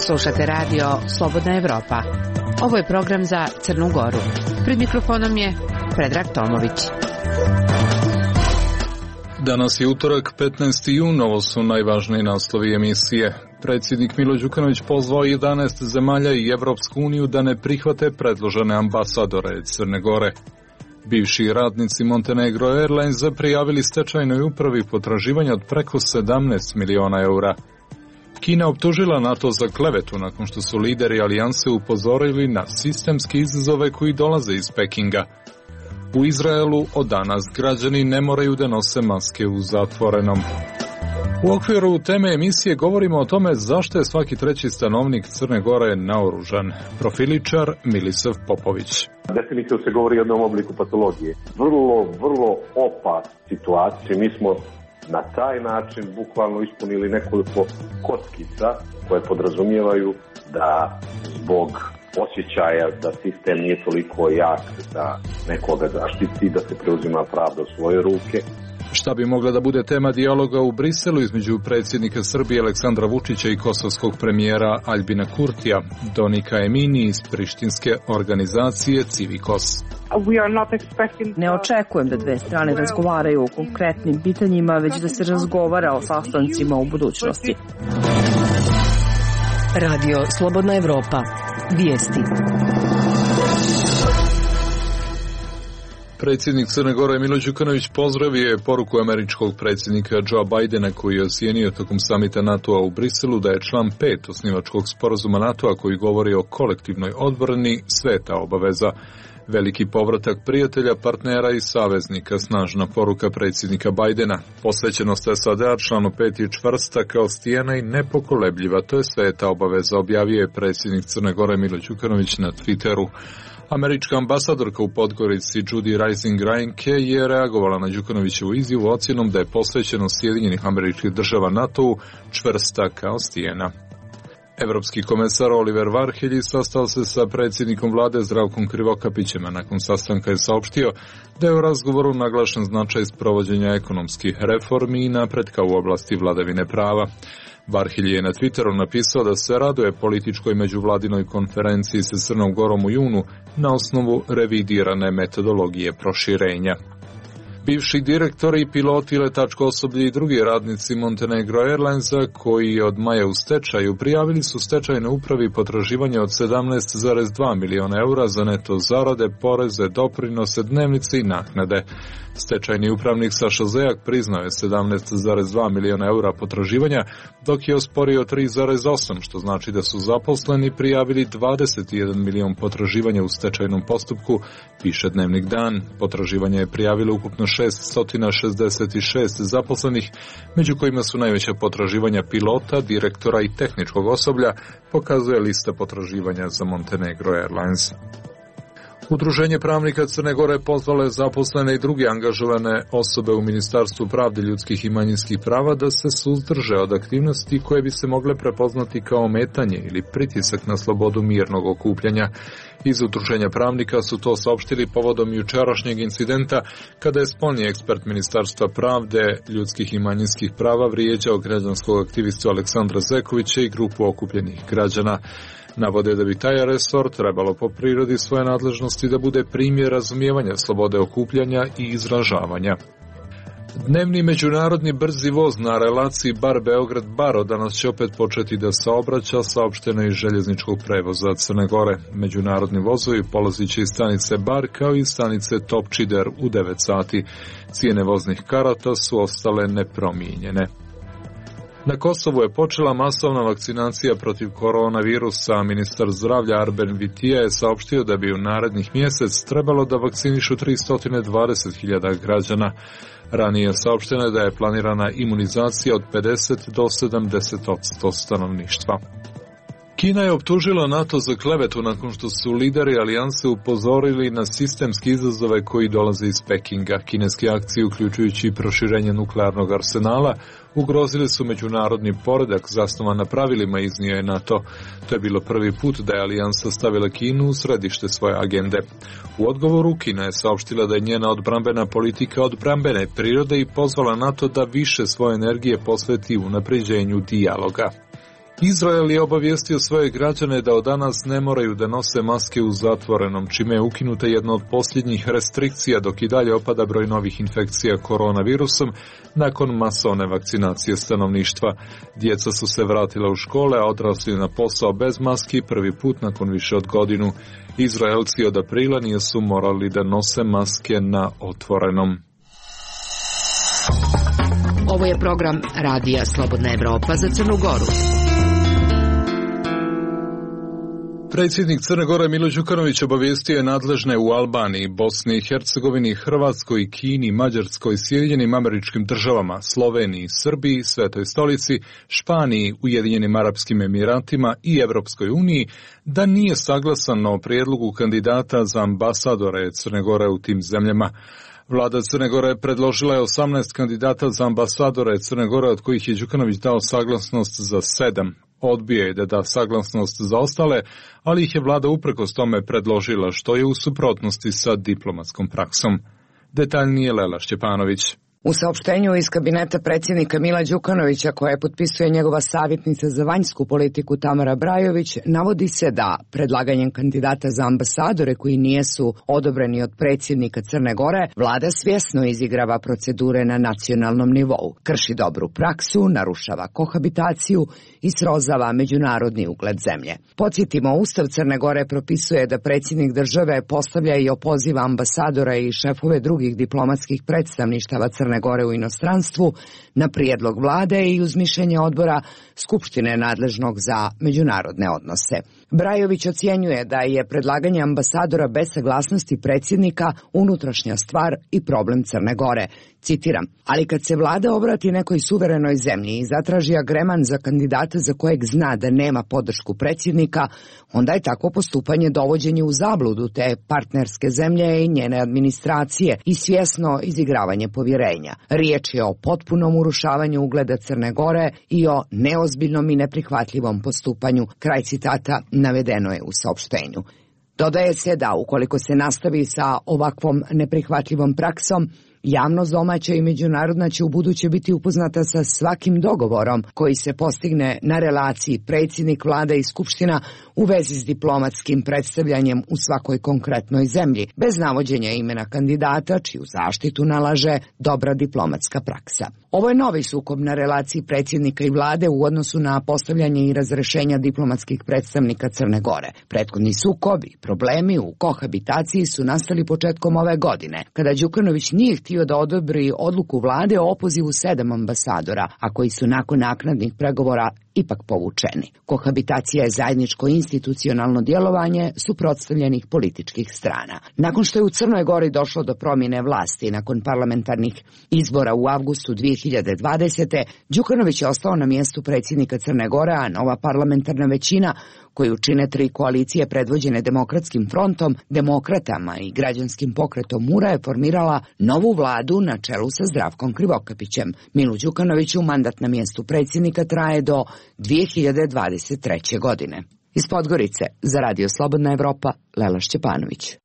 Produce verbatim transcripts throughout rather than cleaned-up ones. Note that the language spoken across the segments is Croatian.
Slušate radio Slobodna Evropa. Ovo je program za Crnu Goru. Pred mikrofonom je Predrag Tomović. Danas je utorak, petnaesti jun, ovo su najvažniji naslovi emisije. Predsjednik Milo Đukanović pozvao jedanaest zemalja i Evropsku uniju da ne prihvate predložene ambasadore Crne Gore. Bivši radnici Montenegro Airlinesa prijavili stečajnoj upravi potraživanja od preko sedamnaest miliona eura. Kina optužila NATO za klevetu nakon što su lideri alijanse upozorili na sistemske izazove koji dolaze iz Pekinga. U Izraelu od danas građani ne moraju da nose maske u zatvorenom. U okviru teme emisije govorimo o tome zašto je svaki treći stanovnik Crne Gore naoružan. Profiličar Milisav Popović. Definitivno se govori o jednom obliku patologije. Vrlo, vrlo opasna situacija. Mi smo na taj način bukvalno ispunili nekoliko kockica koje podrazumijevaju da zbog osjećaja da sistem nije toliko jak da nekoga zaštiti, da se preuzima pravda u svoje ruke. Šta bi mogla da bude tema dijaloga u Briselu između predsjednika Srbije Aleksandra Vučića i kosovskog premijera Aljbina Kurtija? Donika Emini iz prištinske organizacije Civikos. Ne očekujem da dve strane razgovaraju o konkretnim pitanjima, već da se razgovara o sastancima u budućnosti. Radio Slobodna Evropa. Vijesti. Predsjednik Crne Gore Milo Đukanović pozdravio je poruku američkog predsjednika Joe Bidena koji je ocijenio tokom samita NATO-a u Briselu da je član pet osnivačkog sporazuma NATO-a koji govori o kolektivnoj odbrani sveta obaveza. Veliki povratak prijatelja, partnera i saveznika, snažna poruka predsjednika Bidena. Posvećenost S A D-a članu pet je čvrsta kao stijena i nepokolebljiva, to je sveta obaveza, objavio je predsjednik Crne Gore Milo Đukanović na Twitteru. Američka ambasadorka u Podgorici Judy Rising Reinke je reagovala na Đukanovićevu izjavu ocjenom da je posvećenost Sjedinjenih Američkih Država NATO-u čvrsta kao stijena. Evropski komesar Oliver Varhelji sastao se sa predsjednikom vlade Zdravkom Krivokapićem, a nakon sastanka je saopštio da je u razgovoru naglašen značaj sprovođenja ekonomskih reformi i napretka u oblasti vladavine prava. Varhelji je na Twitteru napisao da se raduje političkoj međuvladinoj konferenciji sa Crnom Gorom u junu na osnovu revidirane metodologije proširenja. Bivši direktori, piloti, letačko osoblje i drugi radnici Montenegro Airlinesa koji je od maja u stečaju prijavili su stečajnoj upravi potraživanje od sedamnaest zarez dva miliona eura za neto zarade, poreze, doprinose, dnevnice i naknade. Stečajni upravnik Saša Zejak priznao je sedamnaest zarez dva miliona eura potraživanja, dok je osporio tri zarez osam, što znači da su zaposleni prijavili dvadeset jedan milion potraživanja u stečajnom postupku, piše Dnevnik Dan. Potraživanje je prijavilo ukupno šessto šezdeset šest zaposlenih, među kojima su najveća potraživanja pilota, direktora i tehničkog osoblja, pokazuje lista potraživanja za Montenegro Airlines. Udruženje pravnika Crne Gore pozvalo je zaposlene i druge angažovane osobe u Ministarstvu pravde, ljudskih i manjinskih prava da se suzdrže od aktivnosti koje bi se mogle prepoznati kao ometanje ili pritisak na slobodu mirnog okupljanja. Iz Udruženja pravnika su to saopštili povodom jučerašnjeg incidenta kada je spoljni ekspert Ministarstva pravde, ljudskih i manjinskih prava vrijeđao građanskog aktivistu Aleksandra Zekovića i grupu okupljenih građana. Navode da bi taj resor trebalo po prirodi svoje nadležnosti da bude primjer razumijevanja slobode okupljanja i izražavanja. Dnevni međunarodni brzi voz na relaciji Bar-Beograd-Baro danas će opet početi da saobraća, saopšteno iz željezničkog prevoza Crne Gore. Međunarodni vozovi polazit će iz stanice Bar kao i stanice Topčider u devet sati. Cijene voznih karata su ostale nepromijenjene. Na Kosovu je počela masovna vakcinacija protiv koronavirusa. Ministar zdravlja Arben Vitija je saopštio da bi u narednih mjesec trebalo da vakcinišu tristo dvadeset hiljada građana. Ranije saopšteno je da je planirana imunizacija od pedeset do sedamdeset posto stanovništva. Kina je optužila NATO za klevetu nakon što su lideri alijanse upozorili na sistemske izazove koji dolaze iz Pekinga. Kineske akcije, uključujući i proširenje nuklearnog arsenala, ugrozili su međunarodni poredak zasnovan na pravilima, iznio je NATO. To je bilo prvi put da je alijansa stavila Kinu u središte svoje agende. U odgovoru Kina je saopštila da je njena odbrambena politika odbrambene prirode i pozvala NATO da više svoje energije posveti unapređenju dijaloga. Izrael je obavijestio svoje građane da od danas ne moraju da nose maske u zatvorenom, čime je ukinuta jedna od posljednjih restrikcija, dok i dalje opada broj novih infekcija koronavirusom nakon masovne vakcinacije stanovništva. Djeca su se vratila u škole, a odrasli na posao bez maski prvi put nakon više od godinu. Izraelci od aprila nisu morali da nose maske na otvorenom. Ovo je program Radija Slobodna Evropa za Crnu Goru. Predsjednik Crne Gore Milo Đukanović obavijestio je nadležne u Albaniji, Bosni i Hercegovini, Hrvatskoj, Kini, Mađarskoj, Sjedinjenim Američkim Državama, Sloveniji, Srbiji, Svetoj stolici, Španiji, Ujedinjenim Arapskim Emiratima i Evropskoj uniji da nije saglasan o prijedlogu kandidata za ambasadore Crne Gore u tim zemljama. Vlada Crne Gore predložila je osamnaest kandidata za ambasadore Crne Gore, od kojih je Đukanović dao saglasnost za sedam. Odbio je da da saglasnost za ostale, ali ih je vlada uprkos tome predložila, što je u suprotnosti sa diplomatskom praksom. Detaljnije Lela Šćepanović. U saopštenju iz kabineta predsjednika Mila Đukanovića, koje potpisuje njegova savjetnica za vanjsku politiku Tamara Brajović, navodi se da predlaganjem kandidata za ambasadore koji nijesu odobreni od predsjednika Crne Gore, vlada svjesno izigrava procedure na nacionalnom nivou, krši dobru praksu, narušava kohabitaciju i srozava međunarodni ugled zemlje. Podsjetimo, Ustav Crne Gore propisuje da predsjednik države postavlja i opoziva ambasadora i šefove drugih diplomatskih predstavništava Crne Gore u inostranstvu na prijedlog vlade i uz mišljenje odbora Skupštine nadležnog za međunarodne odnose. Brajović ocjenjuje da je predlaganje ambasadora bez saglasnosti predsjednika unutrašnja stvar i problem Crne Gore. Citiram, ali kad se vlada obrati nekoj suverenoj zemlji i zatraži agreman za kandidata za kojeg zna da nema podršku predsjednika, onda je takvo postupanje dovođenje u zabludu te partnerske zemlje i njene administracije i svjesno izigravanje povjerenja. Riječ je o potpunom urušavanju ugleda Crne Gore i o neozbiljnom i neprihvatljivom postupanju. Kraj citata navedeno je u saopštenju. Dodaje se da ukoliko se nastavi sa ovakvom neprihvatljivom praksom, javnost domaća i međunarodna će u buduće biti upoznata sa svakim dogovorom koji se postigne na relaciji predsjednik vlade i skupština u vezi s diplomatskim predstavljanjem u svakoj konkretnoj zemlji, bez navođenja imena kandidata čiju zaštitu nalaže dobra diplomatska praksa. Ovo je novi sukob na relaciji predsjednika i vlade u odnosu na postavljanje i razrešenja diplomatskih predstavnika Crne Gore. Prethodni sukob i problemi u kohabitaciji su nastali početkom ove godine, kada Đukanović nije htio da odobri odluku vlade o opozivu sedam ambasadora, a koji su nakon naknadnih pregovora ipak povučeni. Kohabitacija je zajedničko institucionalno djelovanje suprotstavljenih političkih strana. Nakon što je u Crnoj Gori došlo do promjene vlasti nakon parlamentarnih izbora u avgustu dvije hiljade dvadesete. Đukanović je ostao na mjestu predsjednika Crne Gore, a nova parlamentarna većina, koju čine tri koalicije predvođene Demokratskim frontom, Demokratama i Građanskim pokretom Mura, je formirala novu vladu na čelu sa Zdravkom Krivokapićem. Milu Đukanoviću mandat na mjestu predsjednika traje do dvije hiljade dvadeset treće. godine. Iz Podgorice za Radio Slobodna Evropa, Lela Šćepanović.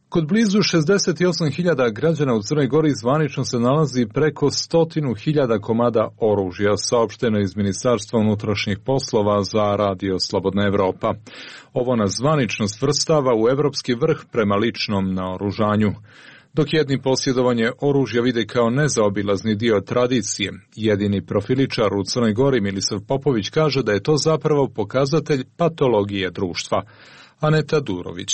Kod blizu šezdeset osam hiljada građana u Crnoj Gori zvanično se nalazi preko stotinu hiljada komada oružja, saopšteno iz Ministarstva unutrašnjih poslova za Radio Slobodna Evropa. Ovo nas zvanično svrstava u evropski vrh prema ličnom naoružanju. Dok jedni posjedovanje oružja vide kao nezaobilazni dio tradicije, jedini profiličar u Crnoj Gori Milisav Popović kaže da je to zapravo pokazatelj patologije društva. Aneta Durović.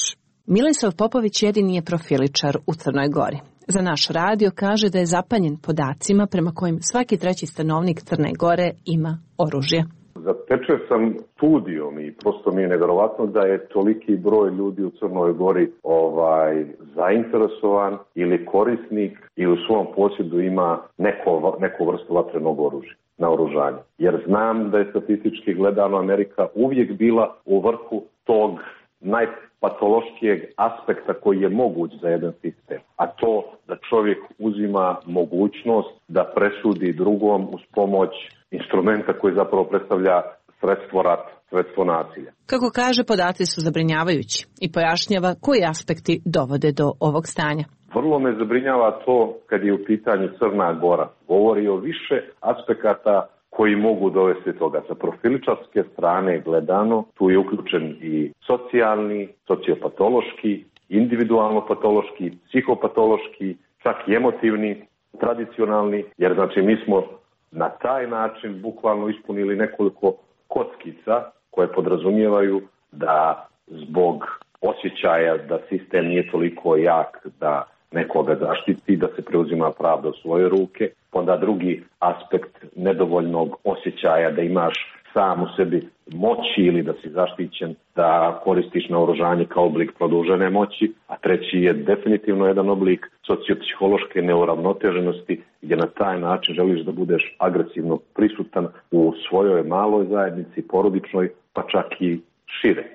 Milisav Popović jedini je profiličar u Crnoj Gori. Za naš radio kaže da je zapanjen podacima prema kojim svaki treći stanovnik Crne Gore ima oružje. Zatečen sam studijom i prosto mi je nevjerovatno da je toliki broj ljudi u Crnoj Gori ovaj, zainteresovan ili korisnik ili u svom posjedu ima neko, neku vrstu vatrenog oružja, naoružanja. Jer znam da je statistički gledano Amerika uvijek bila u vrhu tog najpatološkijeg aspekta koji je moguć za jedan sistem. A to da čovjek uzima mogućnost da presudi drugom uz pomoć instrumenta koji zapravo predstavlja sredstvo rata, sredstvo nasilja. Kako kaže, podaci su zabrinjavajući i pojašnjava koji aspekti dovode do ovog stanja. Vrlo me zabrinjava to kad je u pitanju Crna Gora. Govori o više aspekata koji mogu dovesti toga. Sa profiličarske strane gledano, tu je uključen i socijalni, sociopatološki, individualno-patološki, psihopatološki, čak i emotivni, tradicionalni, jer znači mi smo na taj način bukvalno ispunili nekoliko kockica koje podrazumijevaju da zbog osjećaja da sistem nije toliko jak da nekoga zaštiti, da se preuzima pravda u svoje ruke. Onda drugi aspekt nedovoljnog osjećaja da imaš sam u sebi moći ili da si zaštićen, da koristiš naoružanje kao oblik produžene moći, a treći je definitivno jedan oblik sociopsihološke neuravnoteženosti gdje na taj način želiš da budeš agresivno prisutan u svojoj maloj zajednici, porodičnoj, pa čak i šire.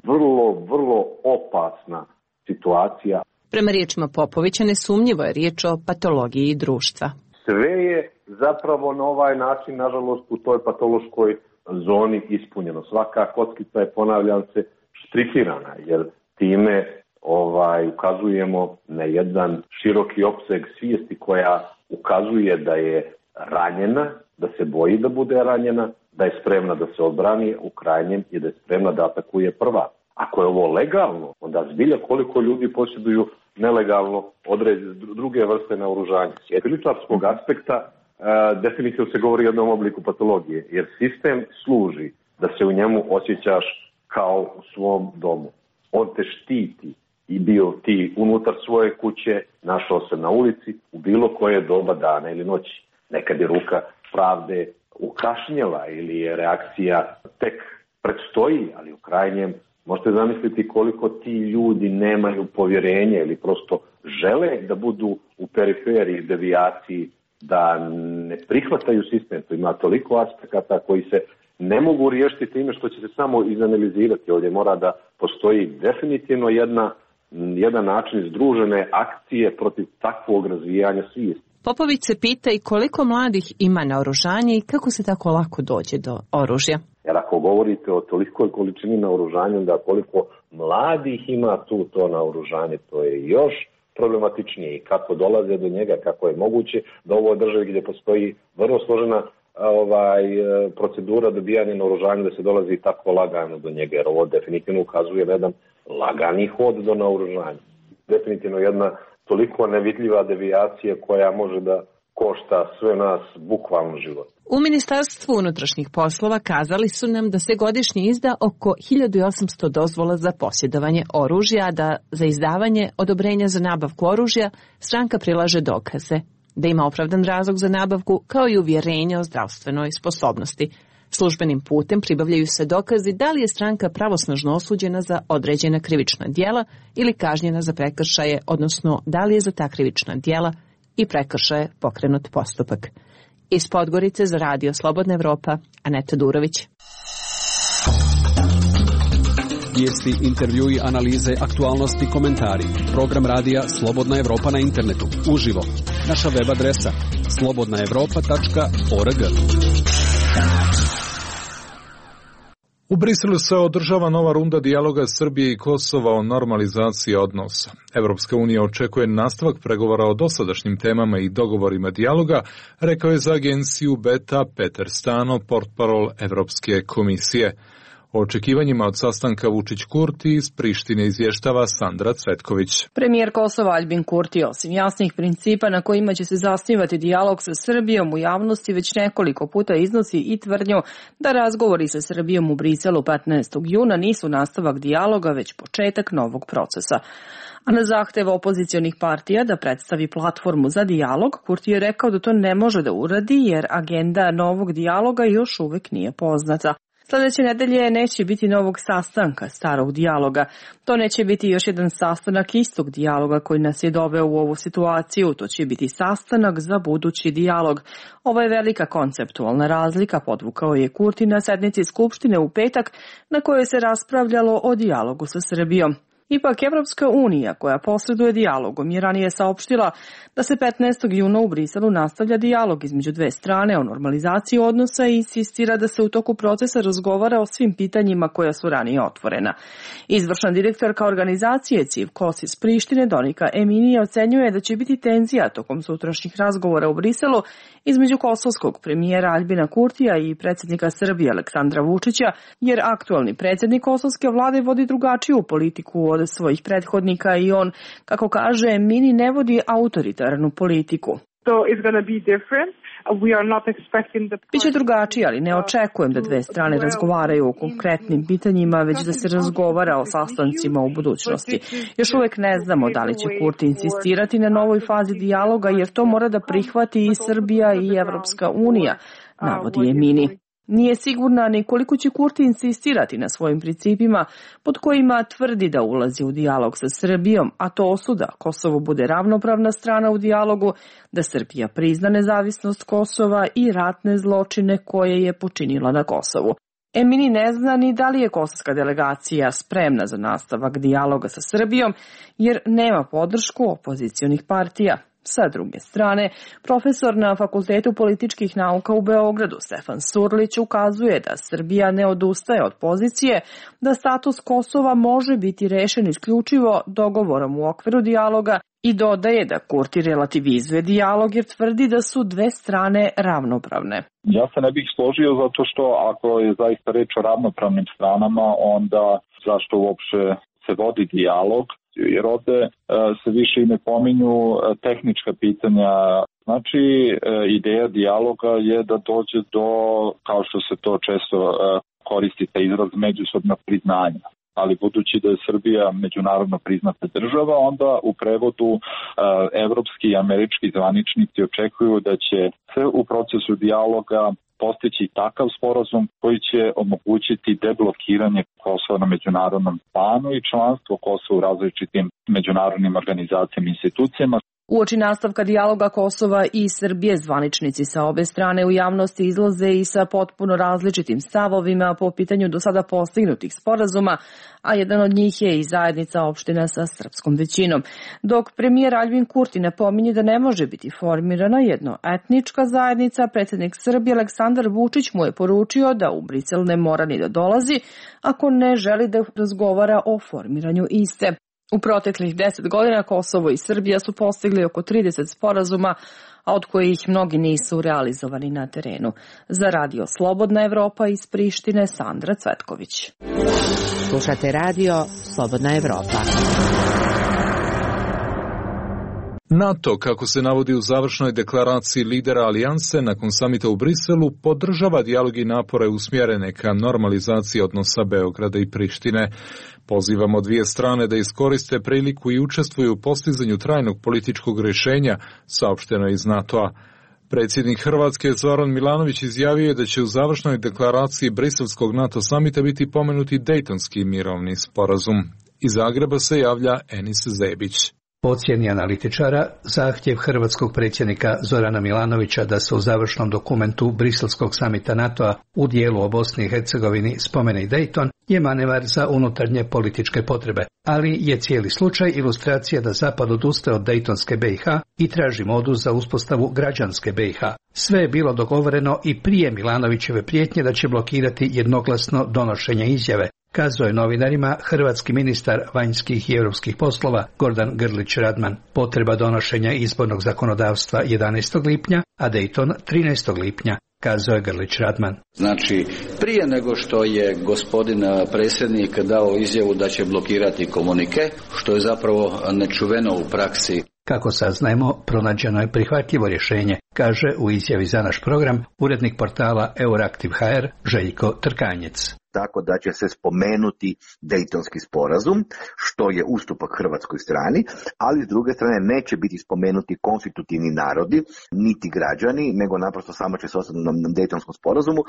Vrlo, vrlo opasna situacija. Prema riječima Popovića, nesumnjivo je riječ o patologiji društva. Sve je zapravo na ovaj način, nažalost, u toj patološkoj zoni ispunjeno. Svaka kockica je, ponavljam se, štrikirana, jer time ovaj, ukazujemo na jedan široki opseg svijesti koja ukazuje da je ranjena, da se boji da bude ranjena, da je spremna da se odbrani u krajnjem i da je spremna da atakuje prva. Ako je ovo legalno, onda zbilja koliko ljudi posjeduju nelegalno određene druge vrste naoružanja. S jediličarskog aspekta e, definitivno se govori o jednom obliku patologije, jer sistem služi da se u njemu osjećaš kao u svom domu. On te štiti i bio ti unutar svoje kuće, našao se na ulici u bilo koje doba dana ili noći. Nekad je ruka pravde ukašnjela ili je reakcija tek predstoji, ali u krajnjem možete zamisliti koliko ti ljudi nemaju povjerenje ili prosto žele da budu u periferiji, devijaciji, da ne prihvataju sistem. To ima toliko aspekata koji se ne mogu riješiti time što će se samo izanalizirati. Ovdje mora da postoji definitivno jedna, jedan način združene akcije protiv takvog razvijanja svijesti. Popović se pita i koliko mladih ima naoružanje i kako se tako lako dođe do oružja. Jer ako govorite o tolikoj količini naoružanja, onda koliko mladih ima tu to naoružanje, to je još problematičnije. I kako dolaze do njega, kako je moguće da u ovoj državi gdje postoji vrlo složena ovaj, procedura dobijanja naoružanja, da se dolazi tako lagano do njega, jer ovo definitivno ukazuje na jedan lagani hod do naoružanja. Definitivno jedna toliko nevidljiva devijacija koja može da košta sve nas bukvalno život. U Ministarstvu unutrašnjih poslova kazali su nam da se godišnje izda oko hiljadu osamsto dozvola za posjedovanje oružja, a da za izdavanje odobrenja za nabavku oružja stranka prilaže dokaze, da ima opravdan razlog za nabavku kao i uvjerenje o zdravstvenoj sposobnosti. Službenim putem pribavljaju se dokazi da li je stranka pravosnažno osuđena za određena krivična djela ili kažnjena za prekršaje, odnosno da li je za ta krivična djela i prekršaje pokrenut postupak. Iz Podgorice za Radio Slobodna Evropa, Aneta Durović. Vijesti, intervjui, analize, aktualnosti, komentari. Program radija Slobodna Evropa na internetu, uživo. Naša web adresa slobodna evropa tačka org. U Briselu se održava nova runda dijaloga Srbije i Kosova o normalizaciji odnosa. Evropska unija očekuje nastavak pregovora o dosadašnjim temama i dogovorima dijaloga, rekao je za agenciju Beta Peter Stano, portparol Evropske komisije. O očekivanjima od sastanka Vučić-Kurti iz Prištine izvještava Sandra Cvetković. Premijer Kosova Aljbin Kurti, osim jasnih principa na kojima će se zasnivati dijalog sa Srbijom, u javnosti već nekoliko puta iznosi i tvrdnju da razgovori sa Srbijom u Briselu petnaestog juna nisu nastavak dijaloga, već početak novog procesa. A na zahtev opozicionih partija da predstavi platformu za dijalog, Kurti je rekao da to ne može da uradi jer agenda novog dijaloga još uvek nije poznata. Sljedeće nedelje neće biti novog sastanka starog dijaloga. To neće biti još jedan sastanak istog dijaloga koji nas je doveo u ovu situaciju. To će biti sastanak za budući dijalog. Ovo je velika konceptualna razlika, podvukao je Kurti na sednici Skupštine u petak na kojoj se raspravljalo o dijalogu sa Srbijom. Ipak, Evropska unija, koja posreduje dijalogom, je ranije saopštila da se petnaestog juna u Briselu nastavlja dijalog između dve strane o normalizaciji odnosa i insistira da se u toku procesa razgovara o svim pitanjima koja su ranije otvorena. Izvršna direktorka organizacije C I V K O S iz Prištine, Donika Eminija, ocenjuje da će biti tenzija tokom sutrašnjih razgovora u Briselu između kosovskog premijera Aljbina Kurtija i predsjednika Srbije Aleksandra Vučića, jer aktualni predsjednik kosovske vlade vodi drugačiju politiku od svojih prethodnika i on, kako kaže, mini ne vodi autoritarnu politiku. Biće drugačije, ali ne očekujem da dve strane razgovaraju o konkretnim pitanjima, već da se razgovara o sastancima u budućnosti. Još uvek ne znamo da li će Kurti insistirati na novoj fazi dijaloga, jer to mora da prihvati i Srbija i Evropska unija, navodi Emini. Nije sigurna ni koliko će Kurti insistirati na svojim principima pod kojima tvrdi da ulazi u dijalog sa Srbijom, a to su da Kosovo bude ravnopravna strana u dijalogu, da Srbija prizna nezavisnost Kosova i ratne zločine koje je počinila na Kosovu. Emini ne zna ni da li je kosovska delegacija spremna za nastavak dijaloga sa Srbijom, jer nema podršku opozicionih partija. Sa druge strane, profesor na Fakultetu političkih nauka u Beogradu Stefan Surlić ukazuje da Srbija ne odustaje od pozicije da status Kosova može biti rešen isključivo dogovorom u okviru dijaloga i dodaje da Kurti relativizuje dijalog jer tvrdi da su dve strane ravnopravne. Ja se ne bih složio zato što ako je zaista reč o ravnopravnim stranama, onda zašto uopšte se vodi dijalog? Jer ovde se više i ne pominju tehnička pitanja. Znači, ideja dijaloga je da dođe do, kao što se to često koristi, taj izraz međusobnog priznanja. Ali budući da je Srbija međunarodno priznata država, onda u prevodu evropski i američki zvaničnici očekuju da će se u procesu dijaloga postići takav sporazum koji će omogućiti deblokiranje Kosova na međunarodnom planu i članstvo Kosova u različitim međunarodnim organizacijama i institucijama. Uoči nastavka dijaloga Kosova i Srbije, zvaničnici sa obe strane u javnosti izlaze i sa potpuno različitim stavovima po pitanju do sada postignutih sporazuma, a jedan od njih je i zajednica opština sa srpskom većinom. Dok premijer Aljbin Kurti napominje da ne može biti formirana jednoetnička zajednica, predsjednik Srbije Aleksandar Vučić mu je poručio da u Brisel ne mora ni da dolazi ako ne želi da razgovara o formiranju iste. U proteklih deset godina Kosovo i Srbija su postigli oko trideset sporazuma, a od kojih mnogi nisu realizovani na terenu. Za radio Slobodna Evropa iz Prištine, Sandra Cvetković. Slušate radio Slobodna Evropa. NATO, kako se navodi u završnoj deklaraciji lidera alijanse nakon samita u Briselu, podržava dijalog i napore usmjerene ka normalizaciji odnosa Beograda i Prištine. Pozivamo dvije strane da iskoriste priliku i učestvuju u postizanju trajnog političkog rješenja, saopšteno iz NATO-a. Predsjednik Hrvatske Zoran Milanović izjavio je da će u završnoj deklaraciji briselskog NATO samita biti pomenuti Dejtonski mirovni sporazum. Iz Zagreba se javlja Enis Zebić. Po ocjeni analitičara, zahtjev hrvatskog predsjednika Zorana Milanovića da se u završnom dokumentu briselskog samita NATO-a u dijelu o Bosni i Hercegovini spomene i Dejton je manevar za unutarnje političke potrebe, ali je cijeli slučaj ilustracija da Zapad odustaje od Dejtonske B i H i traži modus za uspostavu građanske B i H. Sve je bilo dogovoreno i prije Milanovićeve prijetnje da će blokirati jednoglasno donošenje izjave, kazao je novinarima hrvatski ministar vanjskih i europskih poslova Gordan Grlić Radman. Potreba donošenja izbornog zakonodavstva jedanaestog lipnja, a Dejton trinaestog lipnja. kazao je Grlić Radman. Znači, prije nego što je gospodin predsjednik dao izjavu da će blokirati komunike, što je zapravo nečuveno u praksi. Kako saznajemo, pronađeno je prihvatljivo rješenje, kaže u izjavi za naš program urednik portala Euraktiv punkt h r Željko Trkanjec. Tako da će se spomenuti Dejtonski sporazum, što je ustupak hrvatskoj strani, ali s druge strane neće biti spomenuti konstitutivni narodi, niti građani, nego naprosto samo će se ostati na Dejtonskom sporazumu.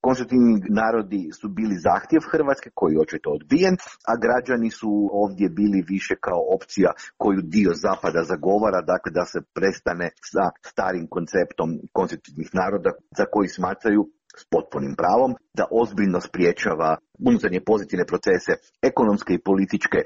Konstitutivni narodi su bili zahtjev Hrvatske, koji je očito odbijen, a građani su ovdje bili više kao opcija koju dio Zapada zagovara, dakle da se prestane sa starim konceptom konstitutivnih naroda za koji smatraju s potpunim pravom da ozbiljno spriječava unutarnje pozitivne procese ekonomske i političke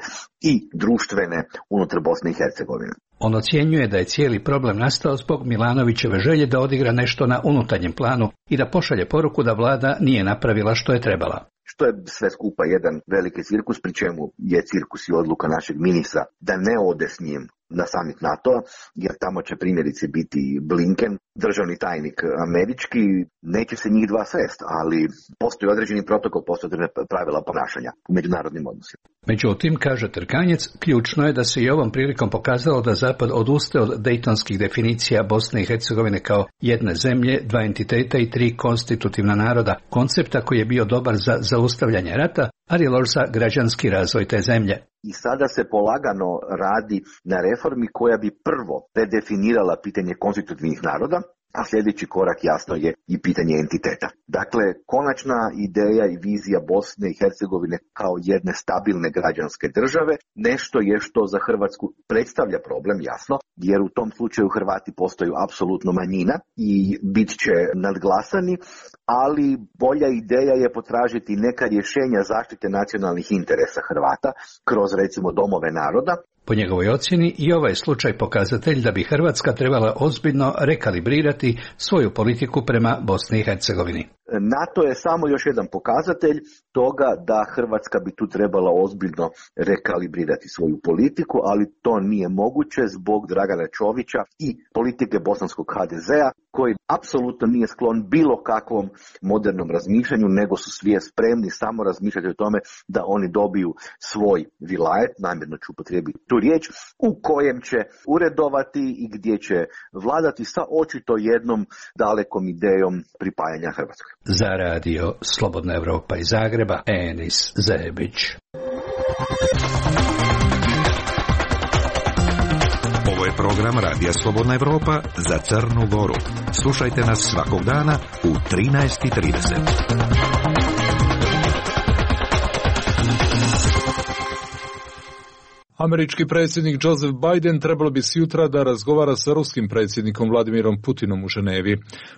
i društvene unutar Bosne i Hercegovine. On ocjenjuje da je cijeli problem nastao zbog Milanovićeve želje da odigra nešto na unutarnjem planu i da pošalje poruku da vlada nije napravila što je trebala. Što je sve skupa jedan veliki cirkus, pri čemu je cirkus i odluka našeg ministra da ne ode s njim na summit NATO-a, jer tamo će primjerice biti Blinken, državni tajnik američki, neće se njih dva srest, ali postoji određeni protokol, postoje pravila ponašanja u međunarodnim odnosima. Međutim, kaže Trkanjec, ključno je da se i ovom prilikom pokazalo da Zapad odustaje od dejtonskih definicija Bosne i Hercegovine kao jedne zemlje, dva entiteta i tri konstitutivna naroda, koncepta koji je bio dobar za zaustavljanje rata, ali loš za građanski razvoj te zemlje. I sada se polagano radi na reformi koja bi prvo redefinirala pitanje konstitutivnih naroda, a sljedeći korak jasno je i pitanje entiteta. Dakle, konačna ideja i vizija Bosne i Hercegovine kao jedne stabilne građanske države, nešto je što za Hrvatsku predstavlja problem, jasno, jer u tom slučaju Hrvati postaju apsolutno manjina i bit će nadglasani, ali bolja ideja je potražiti neka rješenja zaštite nacionalnih interesa Hrvata kroz recimo domove naroda. Po njegovoj ocjeni i ovaj slučaj pokazatelj da bi Hrvatska trebala ozbiljno rekalibrirati svoju politiku prema Bosni i Hercegovini. NATO je samo još jedan pokazatelj toga da Hrvatska bi tu trebala ozbiljno rekalibrirati svoju politiku, ali to nije moguće zbog Dragana Čovića i politike bosanskog ha de zea, koji apsolutno nije sklon bilo kakvom modernom razmišljanju, nego su svi spremni samo razmišljati o tome da oni dobiju svoj vilajet, namjerno ću upotrijebiti tu riječ, u kojem će uredovati i gdje će vladati sa očito jednom dalekom idejom pripajanja Hrvatskoj. Za radio Slobodna Evropa iz Zagreba, Enis Zebić. Ovo je program Radija Slobodna Evropa za Crnu Goru. Slušajte nas svakog dana u trinaest i trideset. Američki predsjednik Joseph Biden trebalo bi sjutra da razgovara sa ruskim predsjednikom Vladimirom Putinom u Ženevi.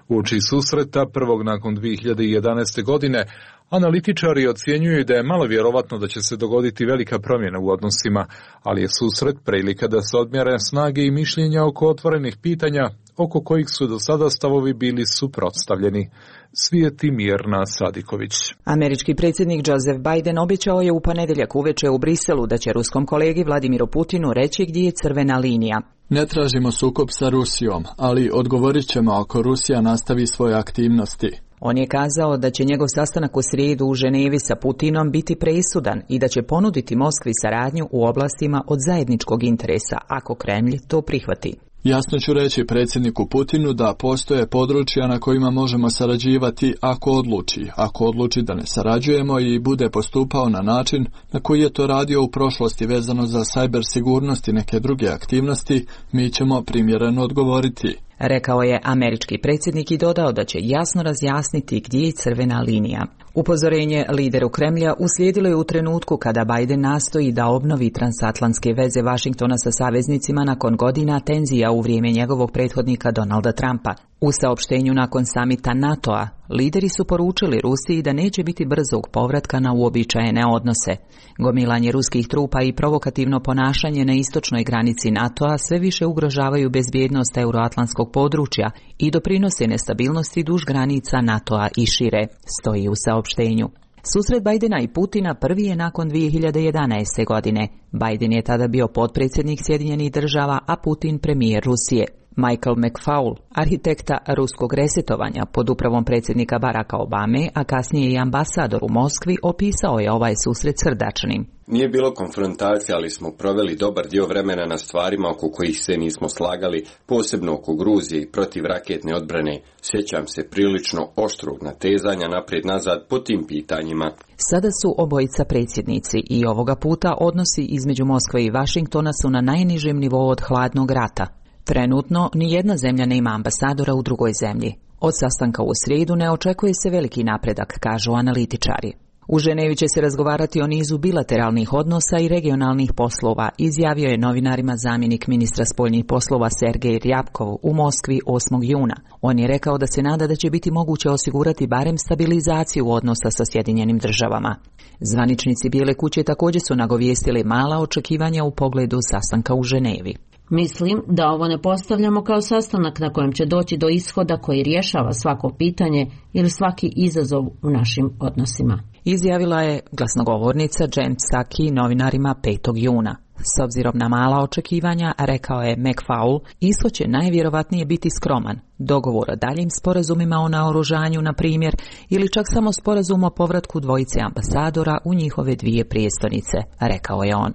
Uoči susreta, prvog nakon dvije hiljade jedanaeste. godine, analitičari ocjenjuju da je malo vjerovatno da će se dogoditi velika promjena u odnosima, ali je susret prilika da se odmjere snage i mišljenja oko otvorenih pitanja, oko kojih su do sada stavovi bili suprotstavljeni. Svijeti Mirna Sadiković. Američki predsjednik Joseph Biden obećao je u ponedjeljak uveče u Briselu da će ruskom kolegi Vladimiru Putinu reći gdje je crvena linija. Ne tražimo sukob sa Rusijom, ali odgovorit ćemo ako Rusija nastavi svoje aktivnosti. On je kazao da će njegov sastanak u srijedu u Ženevi sa Putinom biti presudan i da će ponuditi Moskvi saradnju u oblastima od zajedničkog interesa, ako Kremlj to prihvati. Jasno ću reći predsjedniku Putinu da postoje područja na kojima možemo sarađivati ako odluči. Ako odluči da ne sarađujemo i bude postupao na način na koji je to radio u prošlosti vezano za sajber sigurnost i neke druge aktivnosti, mi ćemo primjereno odgovoriti. Rekao je američki predsjednik i dodao da će jasno razjasniti gdje je crvena linija. Upozorenje lideru Kremlja uslijedilo je u trenutku kada Biden nastoji da obnovi transatlantske veze Vašingtona sa saveznicima nakon godina tenzija u vrijeme njegovog prethodnika Donalda Trumpa. U saopštenju nakon samita NATO-a, lideri su poručili Rusiji da neće biti brzog povratka na uobičajene odnose. Gomilanje ruskih trupa i provokativno ponašanje na istočnoj granici NATO-a sve više ugrožavaju bezbjednost euroatlantskog područja i doprinose nestabilnosti duž granica NATO-a i šire, stoji u saopštenju. Susret Bidena i Putina prvi je nakon dvije hiljade jedanaeste. godine. Biden je tada bio potpredsjednik Sjedinjenih država, a Putin premijer Rusije. Michael McFaul, arhitekta ruskog resetovanja pod upravom predsjednika Baracka Obame, a kasnije i ambasador u Moskvi, opisao je ovaj susret srdačnim. Nije bilo konfrontacije, ali smo proveli dobar dio vremena na stvarima oko kojih se nismo slagali, posebno oko Gruzije i protiv raketne odbrane. Sjećam se prilično oštrog natezanja naprijed-nazad po tim pitanjima. Sada su obojica predsjednici i ovoga puta odnosi između Moskve i Vašingtona su na najnižem nivou od hladnog rata. Trenutno ni jedna zemlja nema ambasadora u drugoj zemlji. Od sastanka u srijedu ne očekuje se veliki napredak, kažu analitičari. U Ženevi će se razgovarati o nizu bilateralnih odnosa i regionalnih poslova, izjavio je novinarima zamjenik ministra spoljnih poslova Sergej Ryabkov u Moskvi osmog juna. On je rekao da se nada da će biti moguće osigurati barem stabilizaciju odnosa sa Sjedinjenim državama. Zvaničnici Bijele kuće također su nagovijestili mala očekivanja u pogledu sastanka u Ženevi. Mislim da ovo ne postavljamo kao sastanak na kojem će doći do ishoda koji rješava svako pitanje ili svaki izazov u našim odnosima, izjavila je glasnogovornica Jen Psaki novinarima petog juna. S obzirom na mala očekivanja, rekao je McFaul, ishod će najvjerovatnije biti skroman. Dogovor o daljim sporazumima o naoružanju, na primjer, ili čak samo sporazum o povratku dvojice ambasadora u njihove dvije prijestolnice, rekao je on.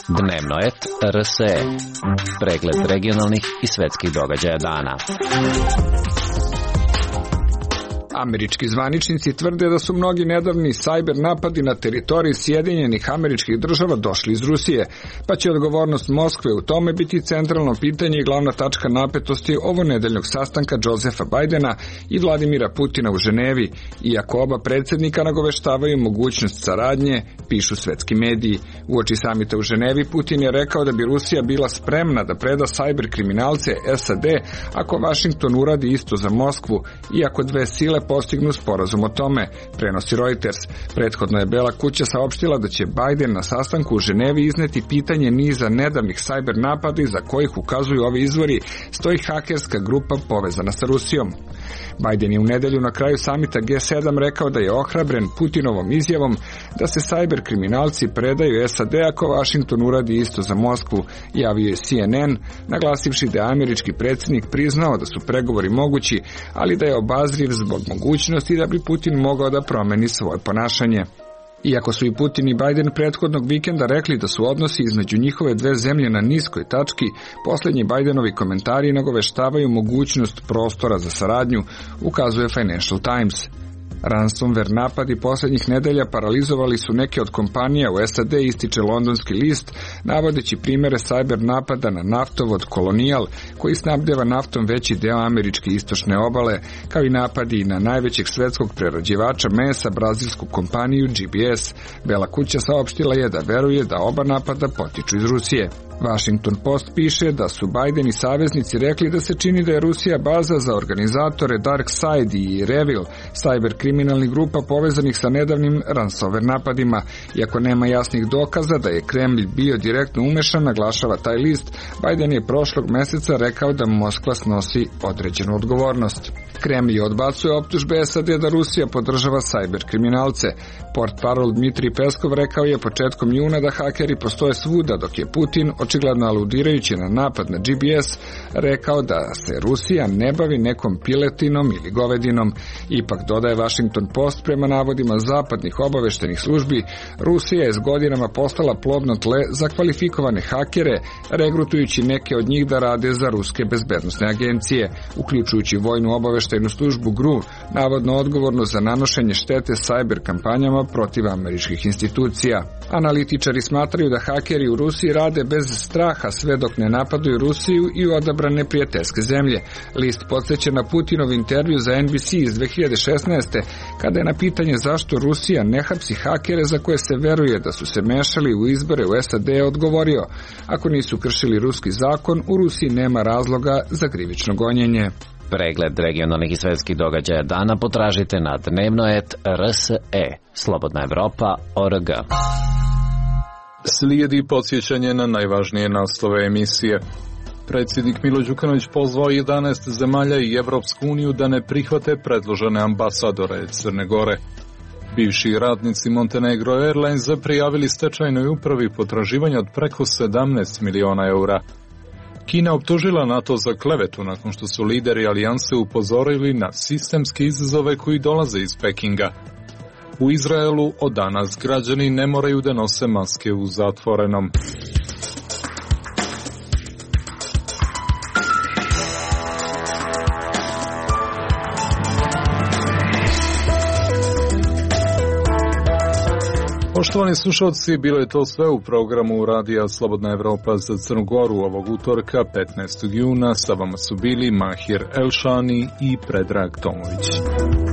Dnevno et R S E. Pregled regionalnih i svjetskih događaja dana. Američki zvaničnici tvrde da su mnogi nedavni sajber napadi na teritoriji Sjedinjenih Američkih Država došli iz Rusije, pa će odgovornost Moskve u tome biti centralno pitanje i glavna tačka napetosti ovonedeljnog sastanka Josefa Bidena i Vladimira Putina u Ženevi, iako oba predsjednika nagoveštavaju mogućnost saradnje, pišu svetski mediji. Uoči samita u Ženevi Putin je rekao da bi Rusija bila spremna da preda sajber kriminalce S A D ako Washington uradi isto za Moskvu, iako dve sile postignu sporazum o tome, prenosi Reuters. Prethodno je Bela kuća saopštila da će Biden na sastanku u Ženevi izneti pitanje niza nedavnih sajber napada iza kojih ukazuju ovi izvori stoji hakerska grupa povezana sa Rusijom. Biden je u nedelju na kraju samita G sedam rekao da je ohrabren Putinovom izjavom da se sajber kriminalci predaju S A D ako Washington uradi isto za Moskvu, javio je C N N, naglasivši da je američki predsjednik priznao da su pregovori mogući, ali da je obazriv zbog mogućnosti da bi Putin mogao da promeni svoje ponašanje. Iako su i Putin i Biden prethodnog vikenda rekli da su odnosi između njihove dve zemlje na niskoj tački, posljednji Bidenovi komentari nagoveštavaju mogućnost prostora za saradnju, ukazuje Financial Times. Ransomware napadi posljednjih nedelja paralizovali su neke od kompanija u S A D, ističe londonski list, navodeći primjere sajber napada na naftovod Colonial, koji snabdeva naftom veći deo američke istočne obale, kao i napadi na najvećeg svetskog prerađivača mesa, brazilsku kompaniju G B S. Bela kuća saopštila je da veruje da oba napada potiču iz Rusije. Washington Post piše da su Biden i saveznici rekli da se čini da je Rusija baza za organizatore Dark Side i Revil, sajber kriminalnih grupa povezanih sa nedavnim ransomware napadima. Iako nema jasnih dokaza da je Kremlj bio direktno umešan, naglašava taj list, Biden je prošlog mjeseca rekao da Moskva snosi određenu odgovornost. Kremlj odbacuje optužbe S A D da Rusija podržava sajber kriminalce. Portparol Dmitrij Peskov rekao je početkom juna da hakeri postoje svuda, dok je Putin, očigledno aludirajući na napad na G B S, rekao da se Rusija ne bavi nekom piletinom ili govedinom. Ipak, dodaje Washington Post, prema navodima zapadnih obaveštenih službi, Rusija je s godinama postala plodno tle za kvalifikovane hakere, regrutujući neke od njih da rade za ruske bezbednosne agencije, uključujući vojnu obaveštajnu službu G R U, navodno odgovorno za nanošenje štete sajber kampanjama protiv američkih institucija. Analitičari smatraju da hakeri u Rusiji rade bez straha sve dok ne napadaju Rusiju i odabrane prijateljske zemlje. List podsjeća na Putinov intervju za N B C iz dve hiljade šesnaeste. kada je na pitanje zašto Rusija ne hapsi hakere za koje se veruje da su se mešali u izbore u S A D odgovorio: ako nisu kršili ruski zakon, u Rusiji nema razloga za krivično gonjenje. Pregled regionalnih i svjetskih događaja dana potražite na dnevno et R S E. Slobodna Evropa O R G. Slijedi podsjećanje na najvažnije naslove emisije. Predsjednik Milo Đukanović pozvao jedanaest zemalja i Evropsku uniju da ne prihvate predložene ambasadore Crne Gore. Bivši radnici Montenegro Airlines prijavili stečajnoj upravi potraživanja od preko sedamnaest miliona eura. Kina optužila NATO za klevetu nakon što su lideri alijanse upozorili na sistemske izazove koji dolaze iz Pekinga. U Izraelu od danas građani ne moraju da nose maske u zatvorenom. Poštovani slušalci, bilo je to sve u programu Radija Slobodna Evropa za Crnu Goru ovog utorka, petnaestog juna. Sa vama su bili Mahir Elšani i Predrag Tomović.